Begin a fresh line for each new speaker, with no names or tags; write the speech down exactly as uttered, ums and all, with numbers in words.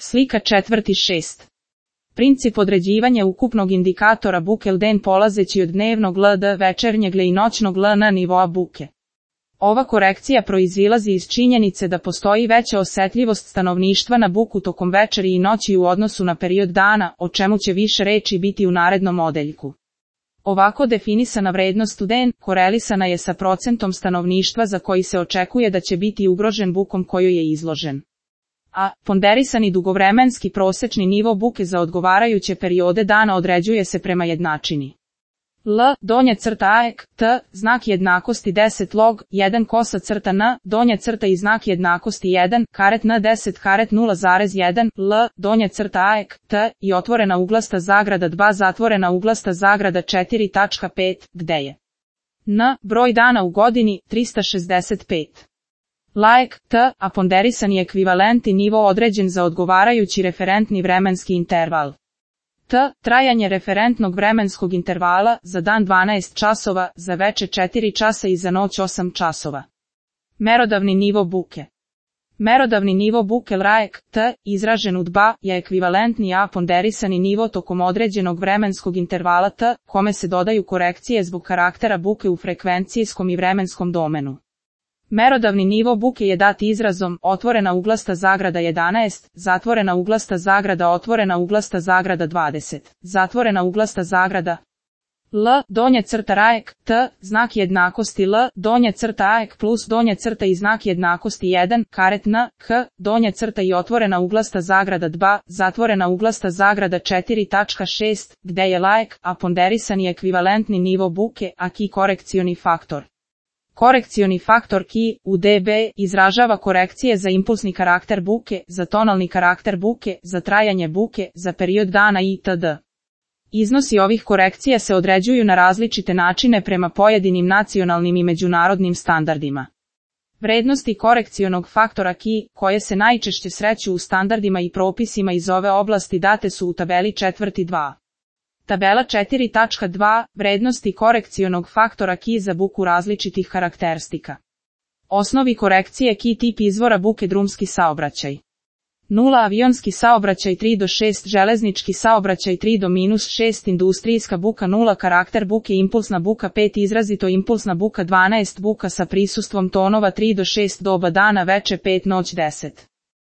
Slika četvrti šest. Princip određivanja ukupnog indikatora buke L D N polazeći od dnevnog L D, večernjeg L I noćnog L N nivoa buke. Ova korekcija proizilazi iz činjenice da postoji veća osetljivost stanovništva na buku tokom večeri i noći u odnosu na period dana, o čemu će više reči biti u narednom odeljku. Ovako definisana vrednost U D N korelisana je sa procentom stanovništva za koji se očekuje da će biti ugrožen bukom kojoj je izložen. A ponderisani dugovremenski prosečni nivo buke za odgovarajuće periode dana određuje se prema jednačini. L, donja crta A E K, T, znak jednakosti deset log, jedan kosa crta N, donja crta i znak jednakosti jedan, karet N deset karet nula zarez jedan, L, donja crta A E K, T, i otvorena uglasta zagrada dva zatvorena uglasta zagrada četiri tačka pet, gde je N, broj dana u godini, trista šezdeset pet. Laik, T, a ponderisani ekvivalentni nivo određen za odgovarajući referentni vremenski interval. T, trajanje referentnog vremenskog intervala, za dan dvanaest časova, za veče četiri časa i za noć osam časova. Merodavni nivo buke. Merodavni nivo buke L R A E K, T, izražen u D B A, je ekvivalentni A ponderisani nivo tokom određenog vremenskog intervala T, kome se dodaju korekcije zbog karaktera buke u frekvencijskom i vremenskom domenu. Merodavni nivo buke je dat izrazom otvorena uglasta zagrada jedanaest, zatvorena uglasta zagrada otvorena uglasta zagrada dvadeset, zatvorena uglasta zagrada L, donja crta R A E K, T, znak jednakosti L, donja crta A E K plus donja crta i znak jednakosti jedan, karet N, H, donja crta i otvorena uglasta zagrada D B A, zatvorena uglasta zagrada četiri tačka šest, gde je L A E K, a ponderisani ekvivalentni nivo buke, a ki korekcioni faktor. Korekcioni faktor ki, u dB, izražava korekcije za impulsni karakter buke, za tonalni karakter buke, za trajanje buke, za period dana itd. Iznosi ovih korekcija se određuju na različite načine prema pojedinim nacionalnim i međunarodnim standardima. Vrednosti korekcionog faktora ki, koje se najčešće sreću u standardima i propisima iz ove oblasti date su u tabeli četvrti dva. Tabela četiri tačka dva, vrednosti korekcionog faktora ki za buku različitih karakteristika. Osnovi korekcije ki tip izvora buke drumski saobraćaj. nula avionski saobraćaj tri do šest železnički saobraćaj tri do šest industrijska buka nula karakter buke impulsna buka pet izrazito impulsna buka dvanaest buka sa prisustvom tonova tri do šest doba dana veče pet noć deset.